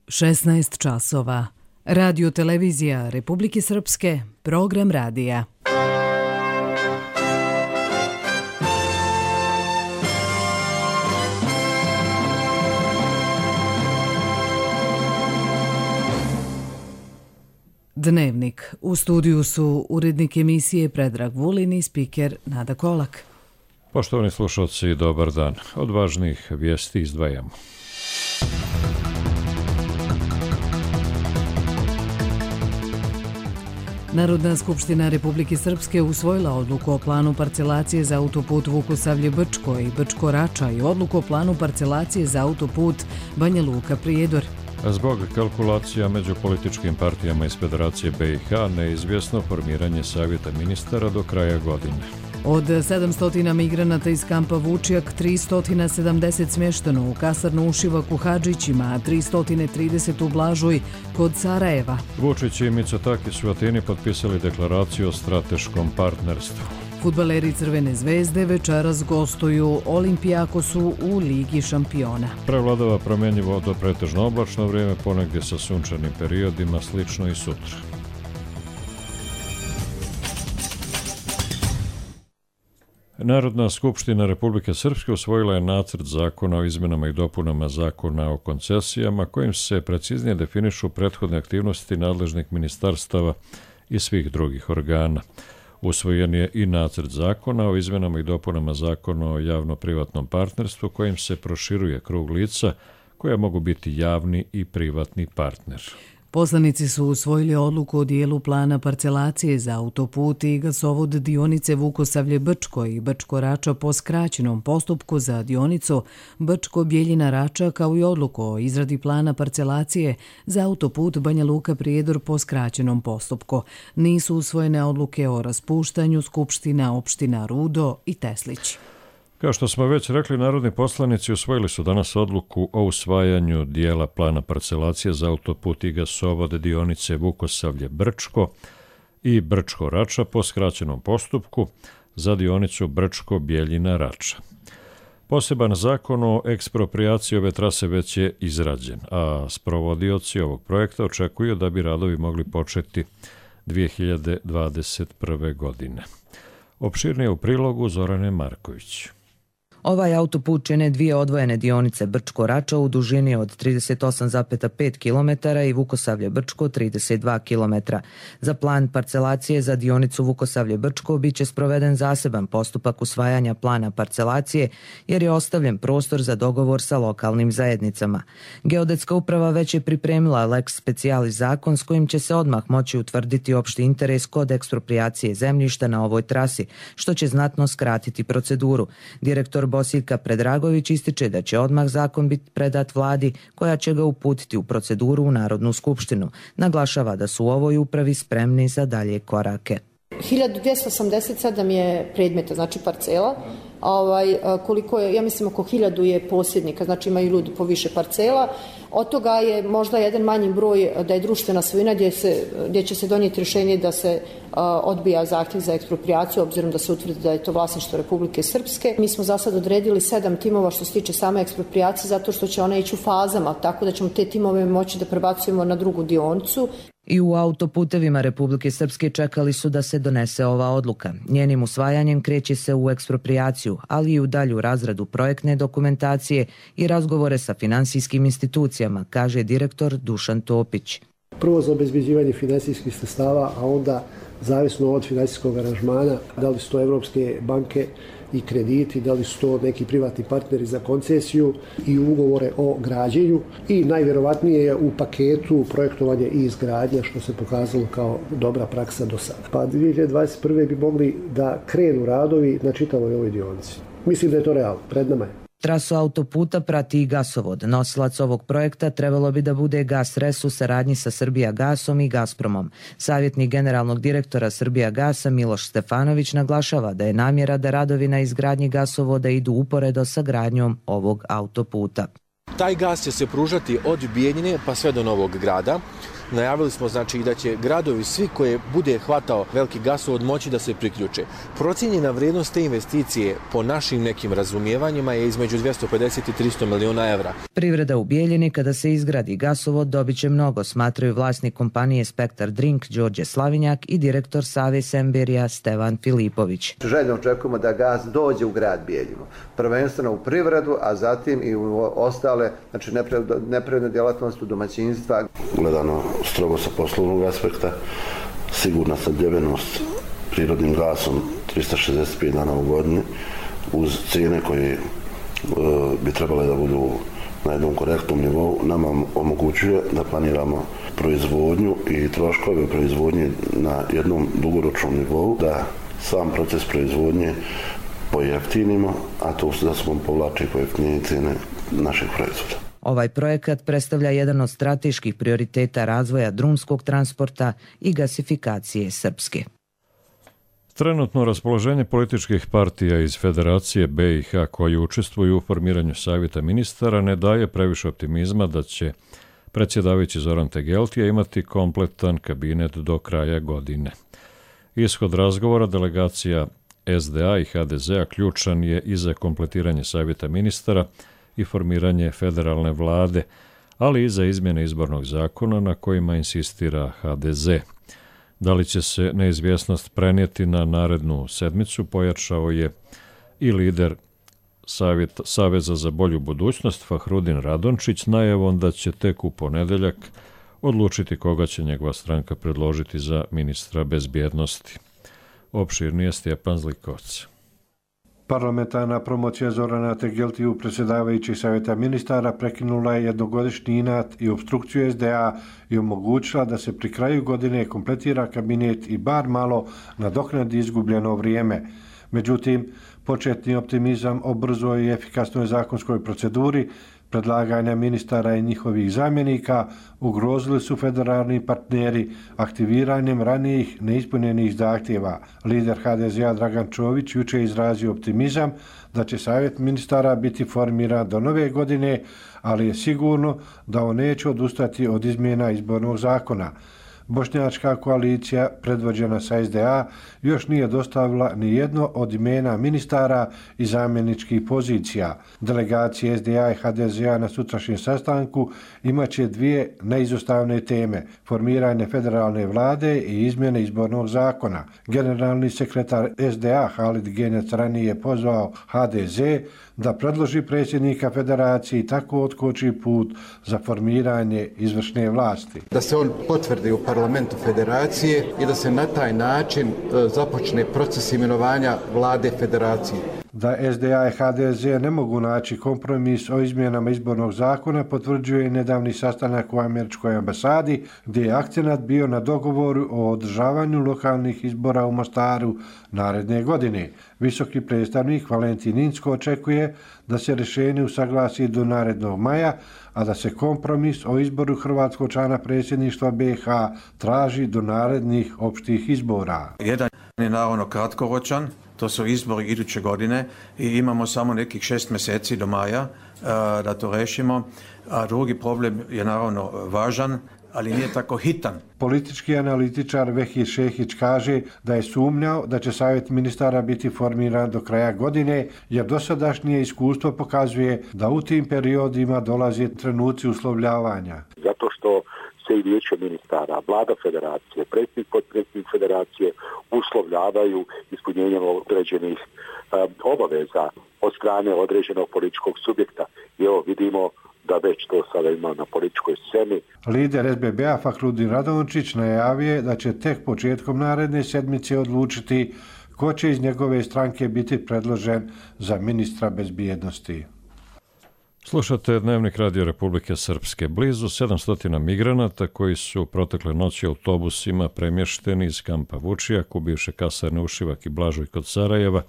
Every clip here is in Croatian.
16 časova. Radio televizija Republike Srpske, program radija. Dnevnik. U studiju su urednik emisije Predrag Vulin i spiker Nada Kolak. Poštovani slušalci, dobar dan. Od važnih vijesti izdvajamo. Narodna skupština Republike Srpske usvojila odluku o planu parcelacije za autoput Vukosavlje-Brčko i Brčko-Rača i odluku o planu parcelacije za autoput Banja Luka-Prijedor. Zbog kalkulacija među političkim partijama iz Federacije BiH neizvjesno formiranje savjeta ministara do kraja godine. Od 700 migranata iz kampa Vučjak, 370 smješteno u kasarnu Ušivak u Hadžićima, a 330 u Blažuj kod Sarajeva. Vučić i Mitsotakis u Atini potpisali deklaraciju o strateškom partnerstvu. Fudbaleri Crvene zvezde večeras gostuju Olimpijakosu u Ligi šampiona. Prevladava promjenjivo do pretežno oblačno vrijeme, ponegdje sa sunčanim periodima, slično i sutra. Narodna skupština Republike Srpske usvojila je nacrt zakona o izmjenama i dopunama zakona o koncesijama, kojim se preciznije definišu prethodne aktivnosti nadležnih ministarstava i svih drugih organa. Usvojen je i nacrt zakona o izmjenama i dopunama zakona o javno-privatnom partnerstvu, kojim se proširuje krug lica koja mogu biti javni i privatni partner. Poslanici su usvojili odluku o dijelu plana parcelacije za autoput i gasovod dionice Vukosavlje-Brčko i Brčko-Rača po skraćenom postupku za dionicu Brčko-Bjeljina-Rača, kao i odluku o izradi plana parcelacije za autoput Banja Luka-Prijedor po skraćenom postupku. Nisu usvojene odluke o raspuštanju skupština opština Rudo i Teslić. Kao što smo već rekli, narodni poslanici usvojili su danas odluku o usvajanju dijela plana parcelacije za autoput i gasovod dionice Vukosavlje-Brčko i Brčko-Rača po skraćenom postupku za dionicu Brčko-Bjeljina-Rača. Poseban zakon o eksproprijaciji ove trase već je izrađen, a sprovodioci ovog projekta očekuju da bi radovi mogli početi 2021. godine. Opširnije u prilogu Zorane Marković. Ovaj autoput čine dvije odvojene dionice Brčko-Rača u dužini od 38,5 km i Vukosavlje-Brčko 32 km. Za plan parcelacije za dionicu Vukosavlje-Brčko biće sproveden zaseban postupak usvajanja plana parcelacije, jer je ostavljen prostor za dogovor sa lokalnim zajednicama. Geodetska uprava već je pripremila lex specialis zakon s kojim će se odmah moći utvrditi opšti interes kod eksproprijacije zemljišta na ovoj trasi, što će znatno skratiti proceduru. Direktor Bosiljka Predragović ističe da će odmah zakon biti predat vladi, koja će ga uputiti u proceduru u Narodnu skupštinu. Naglašava da su u ovoj upravi spremni za dalje korake. 1287 je predmeta, znači parcela, koliko je, ja mislim oko 1000 je posjednika, znači imaju ljudi po više parcela. Od toga je možda jedan manji broj da je društvena svojina gdje će se donijeti rješenje da se odbija zahtjev za eksproprijaciju, obzirom da se utvrdi da je to vlasništvo Republike Srpske. Mi smo za sad odredili 7 timova što se tiče same eksproprijacije, zato što će ona ići u fazama, tako da ćemo te timove moći da prebacujemo na drugu dionicu. I u autoputevima Republike Srpske čekali su da se donese ova odluka. Njenim usvajanjem kreće se u eksproprijaciju, ali i u dalju razradu projektne dokumentacije i razgovore sa finansijskim institucijama, kaže direktor Dušan Topić. Prvo za obezbeđivanje finansijskih sredstava, a onda zavisno od finansijskog aranžmana, da li su to evropske banke i krediti, da li su to neki privatni partneri za koncesiju i ugovore o građenju, i najvjerovatnije je u paketu projektovanje i izgradnja, što se pokazalo kao dobra praksa do sada. Pa 2021. bi mogli da krenu radovi na čitavoj ovoj dionici. Mislim da je to realno, pred nama je. Trasu autoputa prati i gasovod. Nosilac ovog projekta trebalo bi da bude Gasres u saradnji sa Srbijagasom i Gazpromom. Savjetnik generalnog direktora Srbijagasa Miloš Stefanović naglašava da je namjera da radovi na izgradnji gasovoda idu uporedo sa gradnjom ovog autoputa. Taj gas će se pružati od Bijeljine pa sve do Novog Grada. Najavili smo znači da će gradovi svi koje bude hvatao veliki gasovod moći da se priključe. Procijenjena vrijednost te investicije po našim nekim razumijevanjima je između 250 i 300 miliona evra. Privreda u Bijeljini kada se izgradi gasovod dobit će mnogo, smatraju vlasnik kompanije Spektar Drink Đorđe Slavinjak i direktor Save Semberija Stevan Filipović. Željno očekujemo da gas dođe u grad Bijeljinu, prvenstveno u privredu, a zatim i u ostale, znači neprivredne djelatnosti u domaćinstva. Gledano strogo sa poslovnog aspekta, sigurna snabdjevenost prirodnim gasom 365 dana u godini uz cijene koje bi trebale da budu na jednom korektnom nivou nama omogućuje da planiramo proizvodnju i troškove proizvodnje na jednom dugoročnom nivou, da sam proces proizvodnje pojeftinimo, a to da smo povlači pojeftinjenje cijene naših proizvoda. Ovaj projekat predstavlja jedan od strateških prioriteta razvoja drumskog transporta i gasifikacije Srpske. Trenutno raspoloženje političkih partija iz Federacije BiH koji učestvuju u formiranju savjeta ministara ne daje previše optimizma da će predsjedavajući Zoran Tegeltija imati kompletan kabinet do kraja godine. Ishod razgovora delegacija SDA i HDZ-a ključan je i za kompletiranje savjeta ministara i formiranje federalne vlade, ali i za izmjene izbornog zakona na kojima insistira HDZ. Da li će se neizvjesnost prenijeti na narednu sedmicu, pojačao je i lider Saveza za bolju budućnost Fahrudin Radončić najavom da će tek u ponedjeljak odlučiti koga će njegova stranka predložiti za ministra bezbjednosti. Opširnije Stjepan Zlikovac. Parlamentarna promocija Zorana Tegeltiju, predsjedavajućih savjeta ministara, prekinula je jednogodišnji inat i opstrukciju SDA i omogućila da se pri kraju godine kompletira kabinet i bar malo nadoknadi izgubljeno vrijeme. Međutim, početni optimizam o brzoj i efikasnoj zakonskoj proceduri predlaganja ministara i njihovih zamjenika ugrozili su federalni partneri aktiviranjem ranijih neispunjenih zahtjeva. Lider HDZ-a Dragan Čović jučer izrazio optimizam da će savjet ministara biti formiran do nove godine, ali je sigurno da on neće odustati od izmjena izbornog zakona. Bošnjačka koalicija, predvođena sa SDA, još nije dostavila ni jedno od imena ministara i zamjeničkih pozicija. Delegacije SDA i HDZ-a na sutrašnjem sastanku imaće dvije neizostavne teme: formiranje federalne vlade i izmjene izbornog zakona. Generalni sekretar SDA Halid Genjac ranije pozvao HDZ da predloži predsjednika federacije i tako otkoči put za formiranje izvršne vlasti. Da se on potvrdi u parlamentu federacije i da se na taj način započne proces imenovanja vlade federacije. Da SDA i HDZ ne mogu naći kompromis o izmjenama izbornog zakona potvrđuje i nedavni sastanak u američkoj ambasadi, gdje je akcenat bio na dogovoru o održavanju lokalnih izbora u Mostaru naredne godine. Visoki predstavnik Valentin Inzko očekuje da se rješenje usaglasi do narednog maja, a da se kompromis o izboru hrvatskog člana predsjedništva BiH traži do narednih opštih izbora. Jedan je naravno kratkoročan, to su izbori iduće godine i imamo samo nekih 6 mjeseci do maja da to rešimo. A drugi problem je naravno važan, ali nije tako hitan. Politički analitičar Vehir Šehić kaže da je sumnjao da će savjet ministara biti formiran do kraja godine, jer dosadašnje iskustvo pokazuje da u tim periodima dolaze trenuci uslovljavanja. Zato što se i vijeće ministara, vlada federacije, predsjednik, potpredsjednik federacije uslovljavaju ispunjenjem određenih obaveza od strane određenog političkog subjekta. I evo vidimo da već to sada ima na političkoj sceni. Lider SBB-a Fahrudin Radončić najavio da će tek početkom naredne sedmice odlučiti ko će iz njegove stranke biti predložen za ministra bezbjednosti. Slušate Dnevnik Radio Republike Srpske. Blizu 700 migranata koji su protekle noći autobusima premješteni iz kampa Vučijak u bivše kasarne Ušivak i Blažuj kod Sarajeva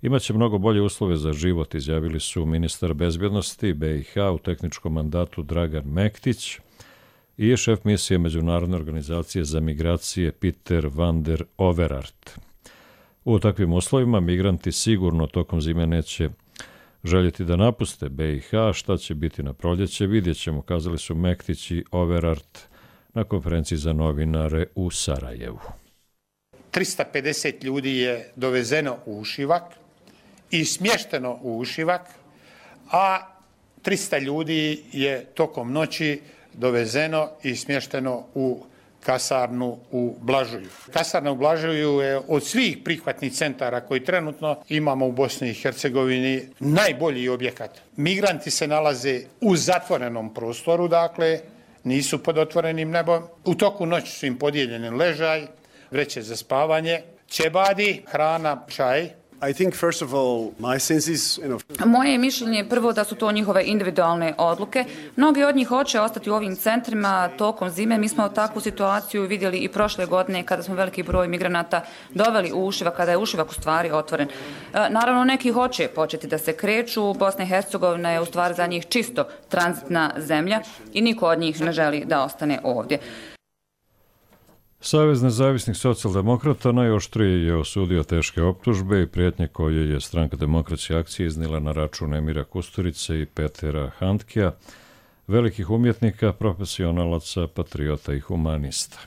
imaće mnogo bolje uslove za život, izjavili su ministar bezbjednosti BiH u tehničkom mandatu Dragan Mektić i šef misije Međunarodne organizacije za migracije Peter van der Overaert. U takvim uslovima migranti sigurno tokom zime neće željeti da napuste BiH, šta će biti na proljeće vidjet ćemo, kazali su Mektić i Overaert na konferenciji za novinare u Sarajevu. 350 ljudi je dovezeno u Ušivak i smješteno u Ušivak, a 300 ljudi je tokom noći dovezeno i smješteno u kasarnu u Blažuju. Kasarna u Blažuju je od svih prihvatnih centara koji trenutno imamo u Bosni i Hercegovini najbolji objekat. Migranti se nalaze u zatvorenom prostoru, dakle nisu pod otvorenim nebom. U toku noći su im podijeljeni ležaj, vreće za spavanje, ćebadi, hrana, čaj. Moje je mišljenje prvo da su to njihove individualne odluke. Mnogi od njih hoće ostati u ovim centrima tokom zime. Mi smo takvu situaciju vidjeli i prošle godine kada smo veliki broj migranata doveli u Ušivak, kada je Ušivak u stvari otvoren. Naravno, neki hoće početi da se kreću. Bosna i Hercegovina je u stvari za njih čisto tranzitna zemlja i niko od njih ne želi da ostane ovdje. Savez nezavisnih socijaldemokrata najoštrije je osudio teške optužbe i prijetnje koje je Stranka demokratske akcije iznijela na račun Emira Kusturice i Petera Handkea, velikih umjetnika, profesionalaca, patriota i humanista.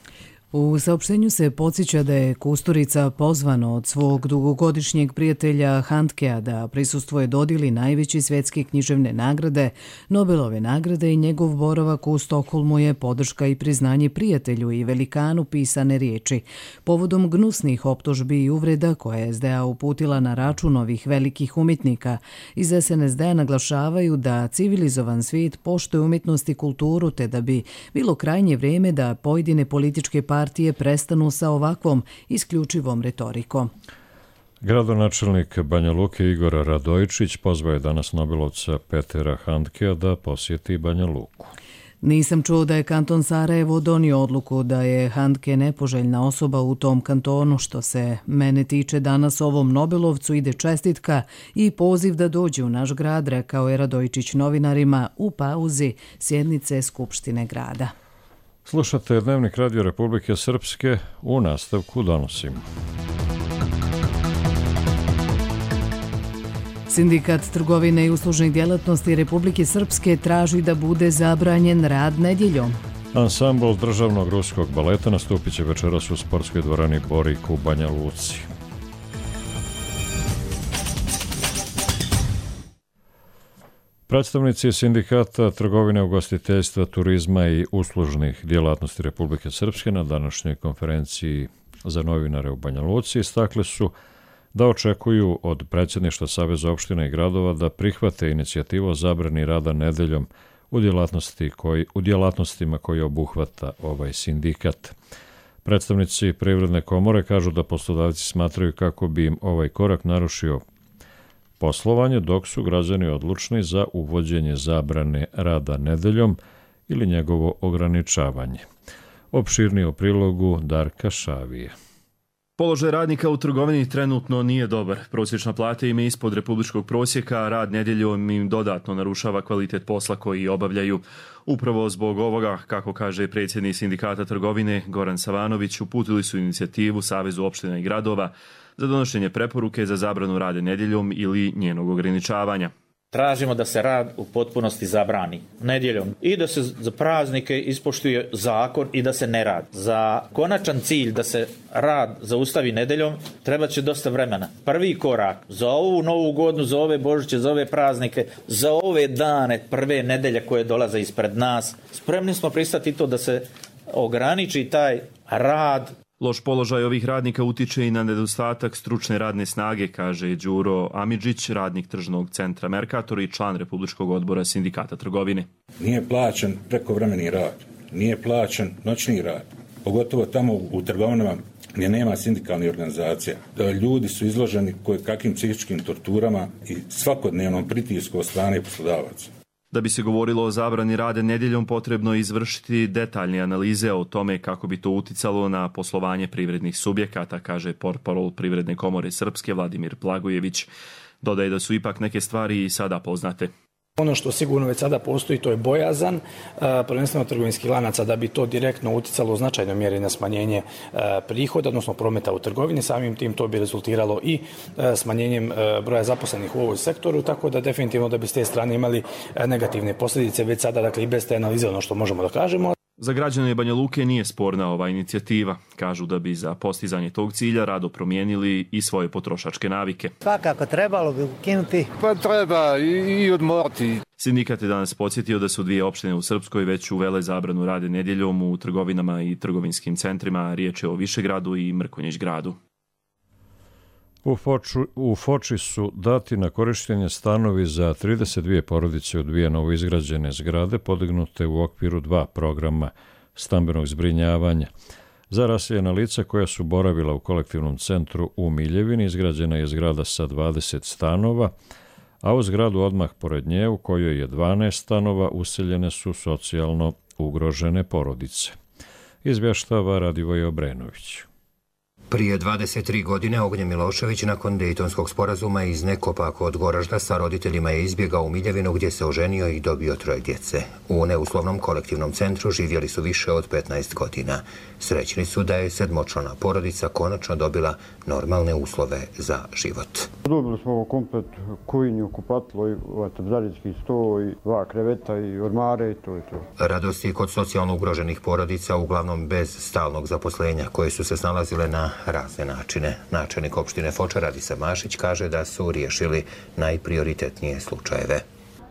U saopštenju se podsjeća da je Kusturica pozvano od svog dugogodišnjeg prijatelja Handkea da prisustvuje dodjeli najveće svjetske književne nagrade, Nobelove nagrade, i njegov boravak u Stokholmu je podrška i priznanje prijatelju i velikanu pisane riječi. Povodom gnusnih optužbi i uvreda koje je SDA uputila na račun ovih velikih umjetnika, iz SNSD naglašavaju da civilizovan svijet poštuje umjetnost i kulturu, te da bi bilo krajnje vrijeme da pojedine političke partije prestanu sa ovakvom isključivom retorikom. Gradonačelnik Banja Luke Igor Radojičić pozvao je danas Nobelovca Petera Handkea da posjeti Banja Luku. Nisam čuo da je kanton Sarajevo donio odluku da je Handke nepoželjna osoba u tom kantonu. Što se mene tiče, danas ovom Nobelovcu ide čestitka i poziv da dođe u naš grad, rekao je Radojičić novinarima u pauzi sjednice Skupštine grada. Slušate Dnevnik Radio Republike Srpske, u nastavku donosimo. Sindikat trgovine i uslužnih djelatnosti Republike Srpske traži da bude zabranjen rad nedjeljom. Ansambl državnog ruskog baleta nastupit će večeras u sportskoj dvorani Borik u Banja Luci. Predstavnici Sindikata trgovine, ugostiteljstva, turizma i uslužnih djelatnosti Republike Srpske na današnjoj konferenciji za novinare u Banja Luci istakli su da očekuju od predsjedništva Saveza opština i gradova da prihvate inicijativu o zabrani rada nedeljom u djelatnostima koje obuhvata ovaj sindikat. Predstavnici Privredne komore kažu da poslodavci smatraju kako bi im ovaj korak narušio poslovanje, dok su građani odlučni za uvođenje zabrane rada nedeljom ili njegovo ograničavanje. Opširnije u prilogu Darka Šavije. Položaj radnika u trgovini trenutno nije dobar. Prosječna plata im je ispod republičkog prosjeka, a rad nedjeljom im dodatno narušava kvalitet posla koji obavljaju. Upravo zbog ovoga, kako kaže predsjednik Sindikata trgovine Goran Savanović, uputili su inicijativu Savezu opština i gradova za donošenje preporuke za zabranu rada nedjeljom ili njenog ograničavanja. Tražimo da se rad u potpunosti zabrani nedjeljom i da se za praznike ispoštuje zakon i da se ne radi. Za konačan cilj da se rad zaustavi nedjeljom treba će dosta vremena. Prvi korak za ovu novu godinu, za ove Božiće, za ove praznike, za ove dane prve nedelje koje dolaze ispred nas, spremni smo pristati to da se ograniči taj rad. Loš položaj ovih radnika utiče i na nedostatak stručne radne snage, kaže Đuro Amidžić, radnik tržnog centra Merkator i član Republičkog odbora Sindikata trgovine. Nije plaćen prekovremeni rad, nije plaćen noćni rad, pogotovo tamo u trgovinama gdje nema sindikalnih organizacija. Ljudi su izloženi kakvim psihičkim torturama i svakodnevnom pritisku od strane poslodavaca. Da bi se govorilo o zabrani rada nedjeljom, potrebno je izvršiti detaljne analize o tome kako bi to uticalo na poslovanje privrednih subjekata, kaže portparol Privredne komore Srpske Vladimir Blagojević. Dodaje da su ipak neke stvari i sada poznate. Ono što sigurno već sada postoji, to je bojazan, prvenstveno trgovinskih lanaca, da bi to direktno uticalo u značajnoj mjeri na smanjenje prihoda, odnosno prometa u trgovini. Samim tim to bi rezultiralo i smanjenjem broja zaposlenih u ovoj sektoru, tako da definitivno da bi s te strane imali negativne posljedice već sada, dakle i bez te analize, ono što možemo da kažemo. Za građane Banja Luke nije sporna ova inicijativa. Kažu da bi za postizanje tog cilja rado promijenili i svoje potrošačke navike. Svakako trebalo bi ukinuti. Pa treba i odmoriti. Sindikat je danas podsjetio da su 2 opštine u Srpskoj već uvele zabranu rada nedjeljom u trgovinama i trgovinskim centrima. Riječ je o Višegradu i Mrkonjić gradu. U Foči su dati na korištenje stanovi za 32 porodice u 2 novoizgrađene zgrade podignute u okviru 2 programa stambenog zbrinjavanja. Za raseljena lica koja su boravila u kolektivnom centru u Miljevini izgrađena je zgrada sa 20 stanova, a u zgradu odmah pored nje u kojoj je 12 stanova useljene su socijalno ugrožene porodice. Izvještava Radivoj Obrenović. Prije 23 godine Ognjen Milošević nakon Dejtonskog sporazuma iz Nekopa kod Goražda sa roditeljima je izbjegao u Miljevinu gdje se oženio i dobio 3 djece. U neuslovnom kolektivnom centru živjeli su više od 15 godina. Srećni su da je 7-člana porodica konačno dobila normalne uslove za život. Dobili smo komplet kuhinju, kupatilo, daljinski sto i 2 kreveta i ormare i to je to. Radosti kod socijalno ugroženih porodica, uglavnom bez stalnog zaposlenja, koje su se snalazile na razne načine. Načelnik opštine Foča Radica Mašić kaže da su riješili najprioritetnije slučajeve.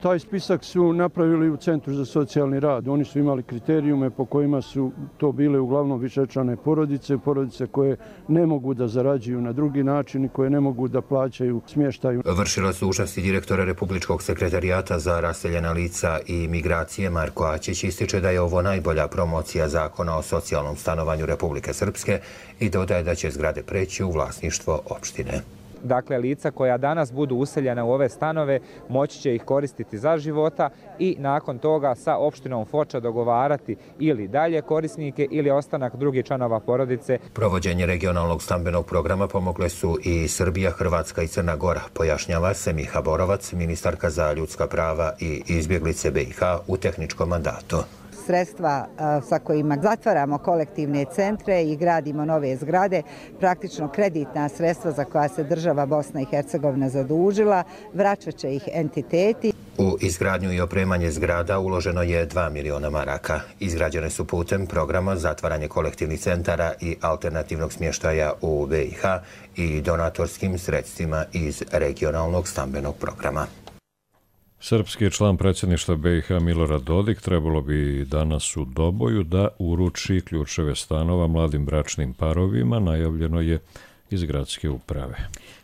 Taj spisak su napravili u Centru za socijalni rad. Oni su imali kriterijume po kojima su to bile uglavnom višečlane porodice, porodice koje ne mogu da zarađuju na drugi način i koje ne mogu da plaćaju smještaj. Vršilac dužnosti direktora Republičkog sekretarijata za raseljena lica i migracije Marko Ačić ističe da je ovo najbolja promocija zakona o socijalnom stanovanju Republike Srpske i dodaje da će zgrade preći u vlasništvo opštine. Dakle, lica koja danas budu useljena u ove stanove moći će ih koristiti za života i nakon toga sa opštinom Foča dogovarati ili dalje korisnike ili ostanak drugih članova porodice. Provođenje regionalnog stambenog programa pomogle su i Srbija, Hrvatska i Crna Gora, pojašnjava Semiha Borovac, ministarka za ljudska prava i izbjeglice BiH u tehničkom mandatu. Sredstva sa kojima zatvaramo kolektivne centre i gradimo nove zgrade, praktično kreditna sredstva za koja se država Bosna i Hercegovina zadužila, vraćat će ih entiteti. U izgradnju i opremanje zgrada uloženo je 2 miliona maraka. Izgrađene su putem programa zatvaranje kolektivnih centara i alternativnog smještaja u BiH i donatorskim sredstvima iz regionalnog stambenog programa. Srpski član predsjedništva BiH Milorad Dodik trebalo bi danas u Doboju da uruči ključeve stanova mladim bračnim parovima, najavljeno je iz gradske uprave.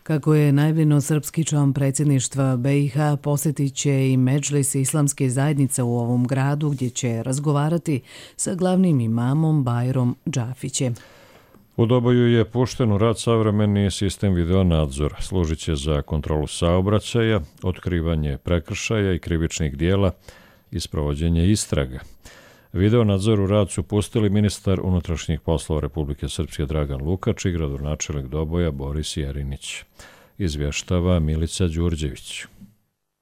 Kako je najavljeno, srpski član predsjedništva BiH posjetit će i Medžlis islamske zajednice u ovom gradu gdje će razgovarati sa glavnim imamom Bajrom Džafićem. U Doboju je pušten u rad savremeni sistem videonadzora. Služit će za kontrolu saobraćaja, otkrivanje prekršaja i krivičnih dijela i sprovođenje istraga. Videonadzor u rad su pustili ministar unutrašnjih poslova Republike Srpske Dragan Lukač i gradonačelnik Doboja Boris Jerinić. Izvještava Milica Đurđević.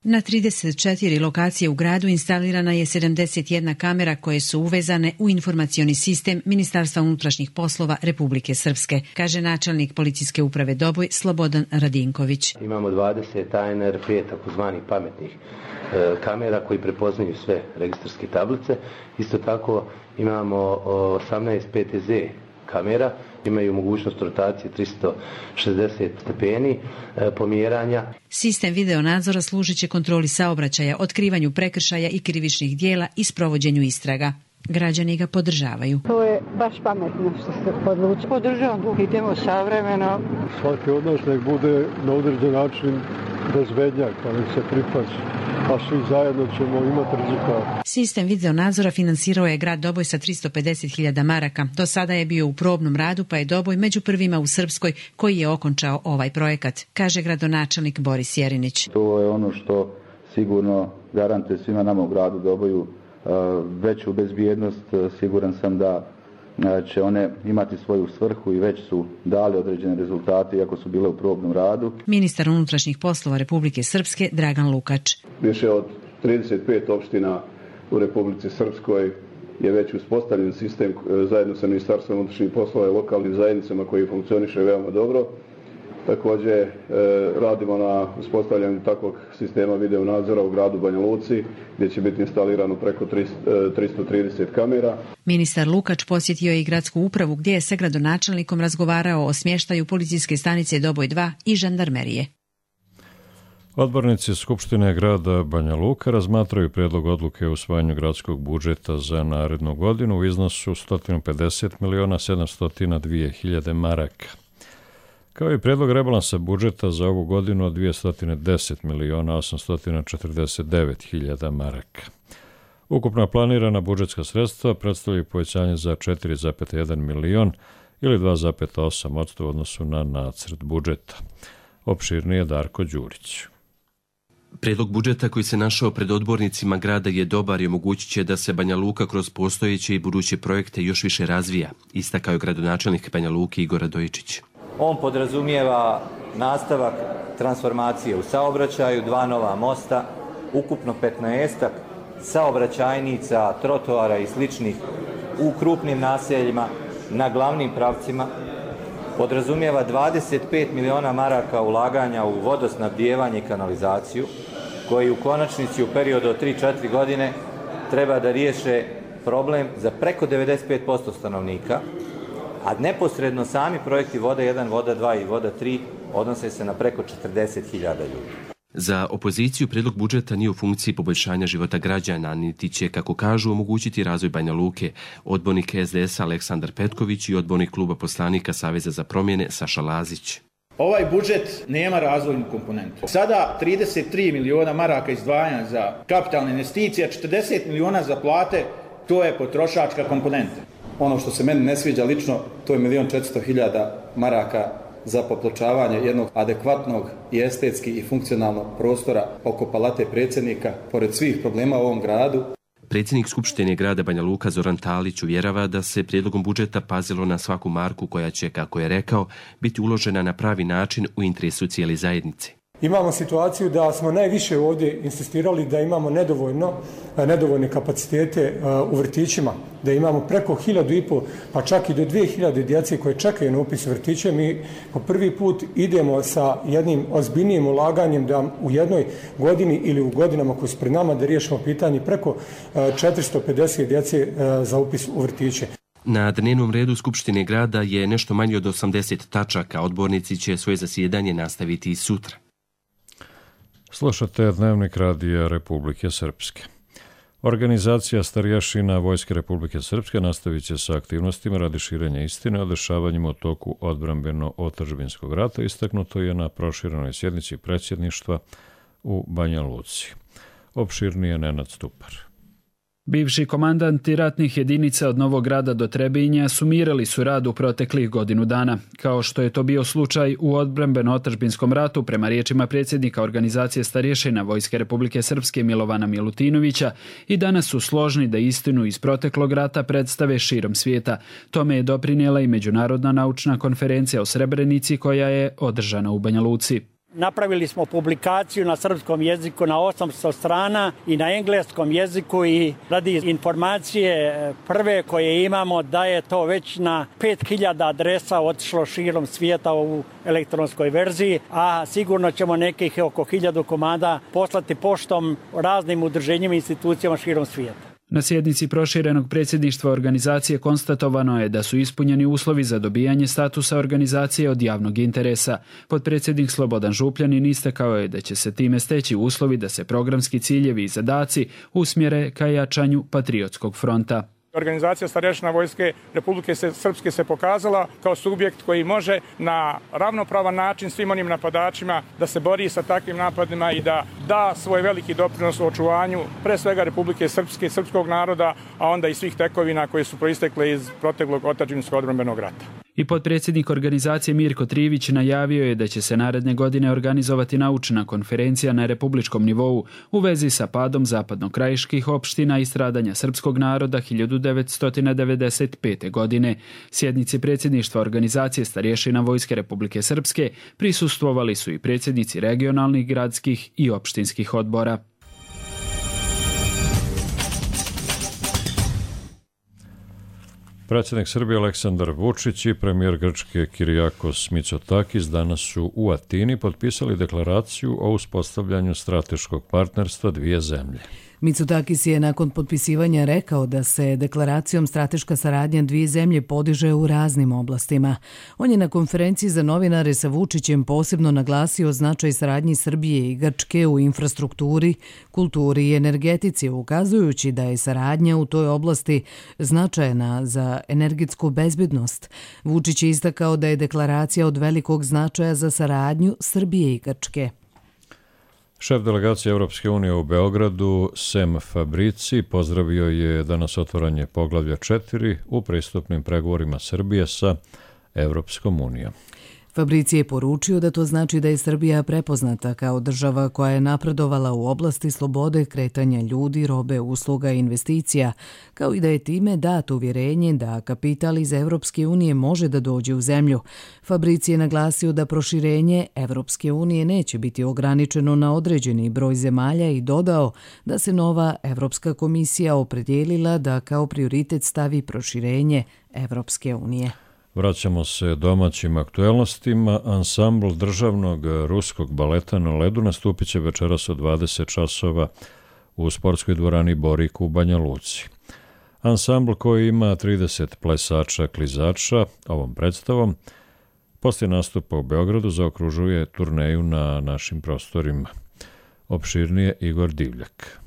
Na 34 lokacije u gradu instalirana je 71 kamera koje su uvezane u informacioni sistem Ministarstva unutrašnjih poslova Republike Srpske, kaže načelnik policijske uprave Doboj Slobodan Radinković. Imamo 20 ANR 5 takozvanih pametnih kamera koji prepoznaju sve registarske tablice. Isto tako imamo 18 PTZ kamera, imaju mogućnost rotacije 360 stepeni pomjeranja. Sistem videonadzora služit će kontroli saobraćaja, otkrivanju prekršaja i krivičnih dijela i sprovođenju istraga. Građani ga podržavaju. To je baš pametno što se odluči. Podržavam, idemo savremeno. Svaki od nas nek bude na određen način bezbednjak, pa nek se pripazi. A svi zajedno ćemo imati rezultat. Sistem videonadzora finansirao je grad Doboj sa 350.000 maraka. Do sada je bio u probnom radu, pa je Doboj među prvima u Srpskoj koji je okončao ovaj projekat, kaže gradonačelnik Boris Jerinić. To je ono što sigurno garantuje svima nama u gradu Doboju veću bezbjednost. Siguran sam da će one imati svoju svrhu i već su dali određene rezultate iako su bile u probnom radu. Ministar unutrašnjih poslova Republike Srpske Dragan Lukač. Više od 35 opština u Republici Srpskoj je već uspostavljen sistem zajedno sa Ministarstvom unutrašnjih poslova i lokalnim zajednicama koji funkcioniše veoma dobro Također radimo na uspostavljanju takvog sistema video nadzora u gradu Banja Luci gdje će biti instalirano preko 330 kamera. Ministar Lukač posjetio je i gradsku upravu gdje je sa gradonačelnikom razgovarao o smještaju policijske stanice Doboj 2 i žandarmerije. Odbornici Skupštine grada Banja Luka razmatraju prijedlog odluke o usvajanju gradskog budžeta za narednu godinu u iznosu 150.702.000 maraka. Kao i prijedlog rebalansa budžeta za ovu godinu od 210.849.000 maraka. Ukupna planirana budžetska sredstva predstavljaju povećanje za 4,1 milion ili 2,8% u odnosu na nacrt budžeta. Opširnije Darko Đurić. Prijedlog budžeta koji se našao pred odbornicima grada je dobar i omogućit će da se Banja Luka kroz postojeće i buduće projekte još više razvija, istakao je gradonačelnik Banja Luke Igor Radojičić. On podrazumijeva nastavak transformacije u saobraćaju, 2 nova mosta, ukupno 15 saobraćajnica, trotoara i sličnih u krupnim naseljima na glavnim pravcima. Podrazumijeva 25 miliona maraka ulaganja u vodosnabdijevanje i kanalizaciju, koji u konačnici u periodu od 3-4 godine treba da riješe problem za preko 95% stanovnika, a neposredno sami projekti Voda 1, Voda 2 i Voda 3 odnose se na preko 40.000 ljudi. Za opoziciju prijedlog budžeta nije u funkciji poboljšanja života građana, niti će, kako kažu, omogućiti razvoj Banja Luke. Odbornik SDS Aleksandar Petković i odbornik kluba poslanika Saveza za promjene Saša Lazić. Ovaj budžet nema razvojnu komponentu. Sada 33 miliona maraka izdvajanja za kapitalne investicije, 40 miliona za plate, to je potrošačka komponenta. Ono što se meni ne sviđa lično, to je 1.400.000 maraka za popločavanje jednog adekvatnog i estetski i funkcionalnog prostora oko palate predsjednika, pored svih problema u ovom gradu. Predsjednik Skupštine grada Banja Luka Zoran Talić uvjerava da se prijedlogom budžeta pazilo na svaku marku koja će, kako je rekao, biti uložena na pravi način u interesu cijele zajednice. Imamo situaciju da smo najviše ovdje insistirali da imamo nedovoljne kapacitete u vrtićima, da imamo preko 1.500 pa čak i do 2.000 djece koje čekaju na upis u vrtiće. Mi po prvi put idemo sa jednim ozbiljnijim ulaganjem da u jednoj godini ili u godinama koje su pred nama da riješimo pitanje preko 450 djece za upis u vrtiće. Na dnevnom redu Skupštine grada je nešto manje od 80 tačaka. Odbornici će svoje zasjedanje nastaviti i sutra. Slušate Dnevnik Radija Republike Srpske. Organizacija starješina Vojske Republike Srpske nastavit će sa aktivnostima radi širenja istine o dešavanjima u toku odbrambeno-otadžbinskog rata, istaknuto je na proširenoj sjednici predsjedništva u Banja Luci. Opširnije Nenad Stupar. Bivši komandanti ratnih jedinica od Novog Grada do Trebinja sumirali su rad u proteklih godinu dana. Kao što je to bio slučaj u odbrambeno-otadžbinskom ratu, prema riječima predsjednika organizacije starješina Vojske Republike Srpske Milovana Milutinovića, i danas su složni da istinu iz proteklog rata predstave širom svijeta. Tome je doprinijela i Međunarodna naučna konferencija o Srebrenici koja je održana u Banja Luci. Napravili smo publikaciju na srpskom jeziku na 800 strana i na engleskom jeziku i radi informacije prve koje imamo da je to već na 5000 adresa otišlo širom svijeta u elektronskoj verziji, a sigurno ćemo nekih oko 1000 komada poslati poštom raznim udruženjima i institucijama širom svijeta. Na sjednici proširenog predsjedništva organizacije konstatovano je da su ispunjeni uslovi za dobijanje statusa organizacije od javnog interesa. Potpredsjednik Slobodan Župljanin istakao je da će se time steći uslovi da se programski ciljevi i zadaci usmjere ka jačanju patriotskog fronta. Organizacija starješina Vojske Republike Srpske se pokazala kao subjekt koji može na ravnopravan način svim onim napadačima da se bori sa takvim napadima i da da svoj veliki doprinos u očuvanju pre svega Republike Srpske, srpskog naroda, a onda i svih tekovina koje su proistekle iz proteklog otadžbinskog odbrambenog rata. I potpredsjednik organizacije Mirko Trivić najavio je da će se naredne godine organizovati naučna konferencija na republičkom nivou u vezi sa padom zapadnokrajiških opština i stradanja srpskog naroda 1995. godine. Sjednici predsjedništva organizacije starješina Vojske Republike Srpske prisustvovali su i predsjednici regionalnih, gradskih i opštinskih odbora. Predsjednik Srbije Aleksandar Vučić i premijer Grčke Kyriakos Mitsotakis danas su u Atini potpisali deklaraciju o uspostavljanju strateškog partnerstva dvije zemlje. Mitsotakis je nakon potpisivanja rekao da se deklaracijom strateška saradnja dvije zemlje podiže u raznim oblastima. On je na konferenciji za novinare sa Vučićem posebno naglasio značaj saradnji Srbije i Grčke u infrastrukturi, kulturi i energetici, ukazujući da je saradnja u toj oblasti značajna za energetsku bezbednost. Vučić je istakao da je deklaracija od velikog značaja za saradnju Srbije i Grčke. Šef delegacije Evropske unije u Beogradu, Sem Fabrici, pozdravio je danas otvaranje poglavlja 4 u pristupnim pregovorima Srbije sa Evropskom unijom. Fabrici je poručio da to znači da je Srbija prepoznata kao država koja je napredovala u oblasti slobode kretanja ljudi, robe, usluga i investicija, kao i da je time dato uvjerenje da kapital iz Evropske unije može da dođe u zemlju. Fabrici je naglasio da proširenje Evropske unije neće biti ograničeno na određeni broj zemalja i dodao da se nova Evropska komisija opredijelila da kao prioritet stavi proširenje Evropske unije. Vraćamo se domaćim aktuelnostima. Ansambl državnog ruskog baleta na ledu nastupit će večeras od 20 časova u sportskoj dvorani Borik u Banja Luci. Ansambl koji ima 30 plesača klizača ovom predstavom poslije nastupa u Beogradu zaokružuje turneju na našim prostorima. Opširnije Igor Divljak.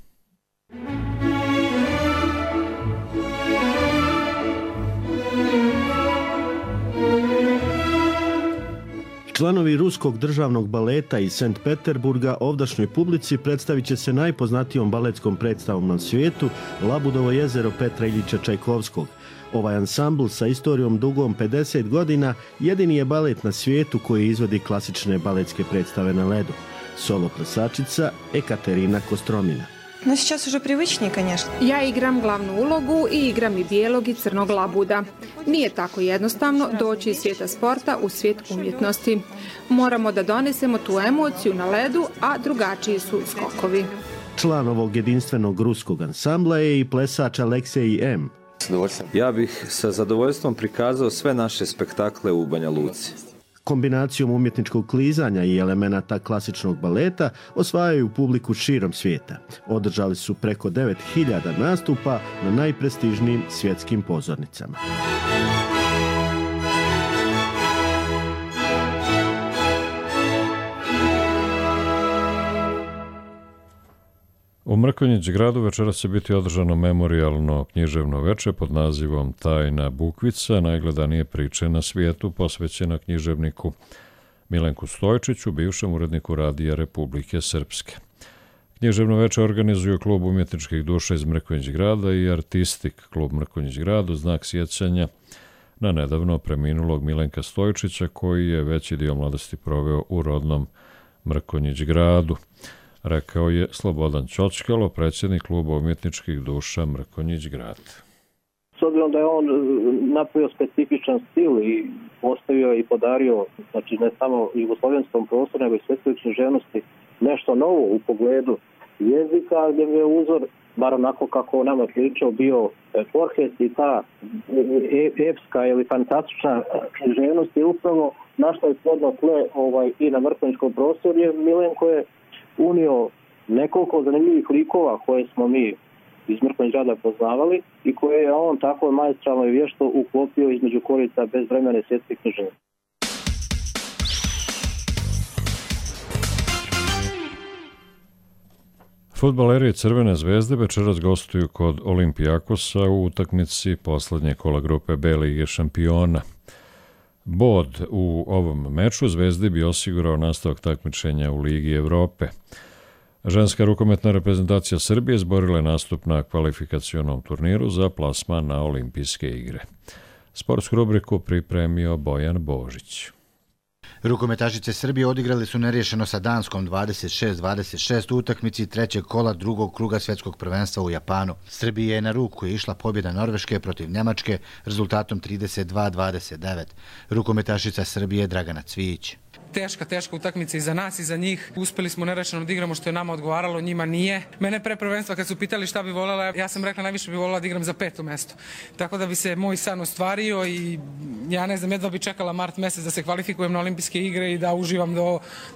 Članovi ruskog državnog baleta iz Sankt Peterburga ovdašnjoj publici predstavit će se najpoznatijom baletskom predstavom na svijetu Labudovo jezero Petra Iljiča Čajkovskog. Ovaj ansambl sa istorijom dugom 50 godina jedini je balet na svijetu koji izvodi klasične baletske predstave na ledu. Solo plesačica Ekaterina Kostromina. No, сейчас уже привычнее, конечно. Ja igram glavnu ulogu i igram i bijelog i crnog labuda. Nije tako jednostavno doći iz svijeta sporta u svijet umjetnosti. Moramo da donesemo tu emociju na ledu, a drugačiji su skokovi. Član ovog jedinstvenog ruskog ansambla je i plesač Aleksej M. Ja bih sa zadovoljstvom prikazao sve naše spektakle u Banja Luci. Kombinacijom umjetničkog klizanja i elemenata klasičnog baleta osvajaju publiku širom svijeta. Održali su preko 9000 nastupa na najprestižnijim svjetskim pozornicama. U Mrkonjić gradu večeras će biti održano memorijalno književno veče pod nazivom Tajna bukvica, najgledanije priče na svijetu, posvećena književniku Milenku Stojčiću, bivšem uredniku Radija Republike Srpske. Književno veče organizuju Klub umjetničkih duša iz Mrkonjić grada i Artistik klub Mrkonjić gradu, znak sjećanja na nedavno preminulog Milenka Stojčića, koji je veći dio mladosti proveo u rodnom Mrkonjić gradu, rekao je Slobodan Ćočkalo, predsjednik Kluba umjetničkih duša Mrkonjić grad. S obzirom da je on napravio specifičan stil i postavio i podario, znači ne samo jugoslovenskom prostoru, nego i svjetskoj književnosti, nešto novo u pogledu jezika, gdje je uzor, bar onako kako nama pričao, bio Borges i ta epska ili fantastična književnost je upravo našla je plodno tle i na mrkonjičkom prostoru, jer Milenko je unio nekoliko zanimljivih likova koje smo mi iz Mrkonjić grada poznavali i koje je on tako maestralno i vješto uklopio između korica bezvremene svjetske književnosti. Fudbaleri Crvene zvezde večeras gostuju kod Olimpijakosa u utakmici poslednje kola grupe B Lige šampiona. Bod u ovom meču Zvezdi bi osigurao nastavak takmičenja u Ligi Evrope. Ženska rukometna reprezentacija Srbije izborila je nastup na kvalifikacionom turniru za plasman na olimpijske igre. Sportsku rubriku pripremio Bojan Božić. Rukometašice Srbije odigrali su neriješeno sa Danskom 26-26 u utakmici trećeg kola drugog kruga svjetskog prvenstva u Japanu. Srbije je na ruku je išla pobjeda Norveške protiv Njemačke rezultatom 32-29. Rukometašica Srbije Dragana Cvijić. teška utakmica i za nas i za njih. Uspeli smo nerešeno da igramo što je nama odgovaralo, njima nije. Mene pre prvenstva kad su pitali šta bi voljela, ja sam rekla najviše bi voljela da igram za 5. mesto. Tako da bi se moj san ostvario i ja ne znam, jedva bi čekala mart mesec da se kvalifikujem na olimpijske igre i da uživam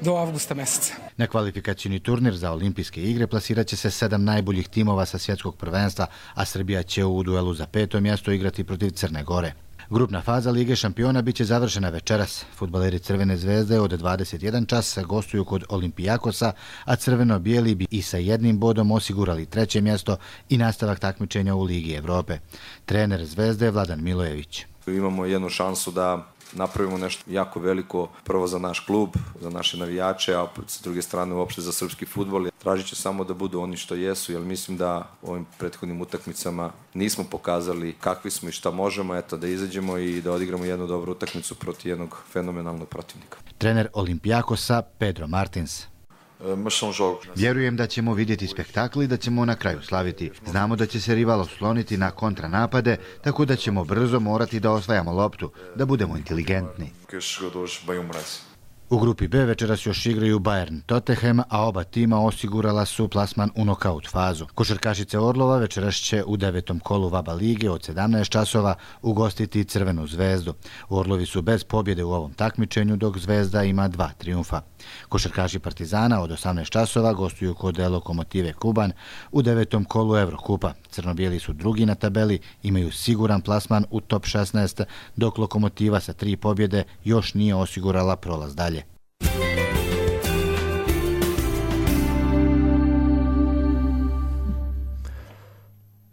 do avgusta meseca. Na kvalifikacijni turnir za olimpijske igre plasirat će se 7 najboljih timova sa svjetskog prvenstva, a Srbija će u duelu za 5. mjesto igrati protiv Crne Gore. Grupna faza Lige šampiona biće završena večeras. Fudbaleri Crvene zvezde od 21 čas gostuju kod Olimpijakosa, a crveno-bijeli bi i sa 1 bodom osigurali 3. mjesto i nastavak takmičenja u Ligi Evrope. Trener Zvezde je Vladan Milojević. Imamo jednu šansu da napravimo nešto jako veliko, prvo za naš klub, za naše navijače, a s druge strane uopšte za srpski fudbal. Tražit će samo da budu oni što jesu, jer mislim da ovim prethodnim utakmicama nismo pokazali kakvi smo i šta možemo, eto, da izađemo i da odigramo jednu dobru utakmicu protiv jednog fenomenalnog protivnika. Trener Olimpijakosa Pedro Martins. Vjerujem da ćemo vidjeti spektakl i da ćemo na kraju slaviti. Znamo da će se rival osloniti na kontranapade, tako da ćemo brzo morati da osvajamo loptu, da budemo inteligentni. U grupi B večeras još igraju Bayern Tottenham, a oba tima osigurala su plasman u nokaut fazu. Košarkašice Orlova večeras će u 9. kolu VABA lige od 17 časova ugostiti Crvenu zvezdu. Orlovi su bez pobjede u ovom takmičenju, dok Zvezda ima 2 trijumfa. Košarkaši Partizana od 18 časova gostuju kod Lokomotive Kuban u 9. kolu Evrokupa. Crno-bijeli su drugi na tabeli, imaju siguran plasman u top 16, dok Lokomotiva sa 3 pobjede još nije osigurala prolaz dalje.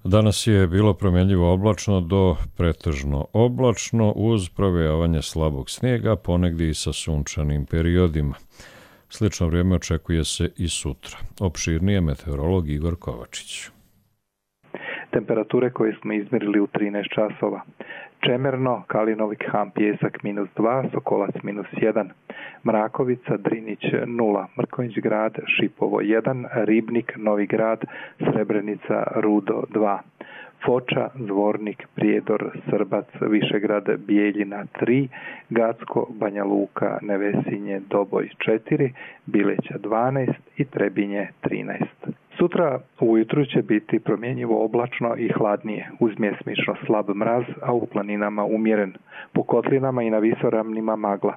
Danas je bilo promjenljivo oblačno do pretežno oblačno uz provejavanje slabog snijega, ponegdje i sa sunčanim periodima. Slično vrijeme očekuje se i sutra. Opširnije meteorolog Igor Kovačić. Temperature koje smo izmjerili u 13 časova. Čemerno, Kalinovik, Han, Pjesak -2, Sokolac -1, Mrakovica, Drinić 0, Mrkonjić grad, Šipovo 1, Ribnik, Novi grad, Srebrenica, Rudo 2, Foča, Zvornik, Prijedor, Srbac, Višegrad, Bijeljina 3, Gacko, Banja Luka, Nevesinje, Doboj 4, Bileća 12 i Trebinje 13. Sutra ujutru će biti promjenjivo oblačno i hladnije, uz mjesmično slab mraz, a u planinama umjeren. Po kotlinama i na visoravnima magla.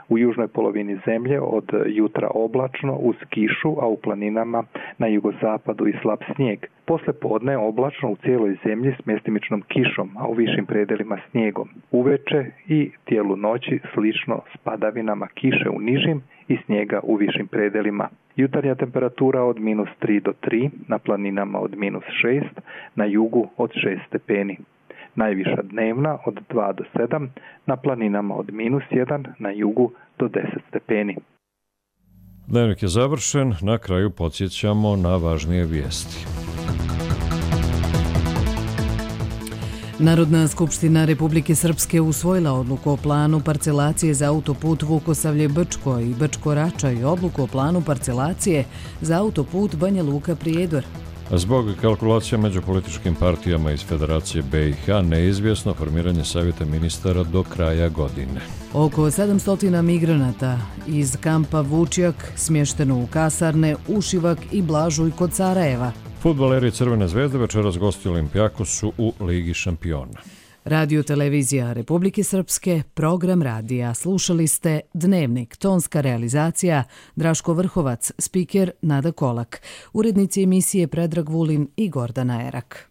U južnoj polovini zemlje od jutra oblačno uz kišu, a u planinama na jugozapadu i slab snijeg. Posle podne oblačno u cijeloj zemlji s mjestimičnom kišom, a u višim predelima snijegom. Uveče i tijelu noći slično s padavinama kiše u nižim i snijega u višim predelima. Jutarnja temperatura od -3 do 3, na planinama od -6, na jugu od 6 stepeni. Najviša dnevna od 2 do 7, na planinama od -1, na jugu do 10 stepeni. Dnevnik je završen, na kraju podsjećamo na važnije vijesti. Narodna skupština Republike Srpske usvojila odluku o planu parcelacije za autoput Vukosavlje-Brčko i Brčko-Rača i odluku o planu parcelacije za autoput Banja Luka-Prijedor. Zbog kalkulacija među političkim partijama iz Federacije BiH neizvjesno formiranje savjeta ministara do kraja godine. Oko 700 migranata iz kampa Vučjak smješteno u kasarne Ušivak i Blažuj kod Sarajeva. Fudbaleri Crvene zvezde večeras gosti Olimpijakosu u Ligi šampiona. Radio televizija Republike Srpske, program radija. Slušali ste Dnevnik, tonska realizacija Draško Vrhovac, spiker Nada Kolak, urednici emisije Predrag Vulin i Gordana Erak.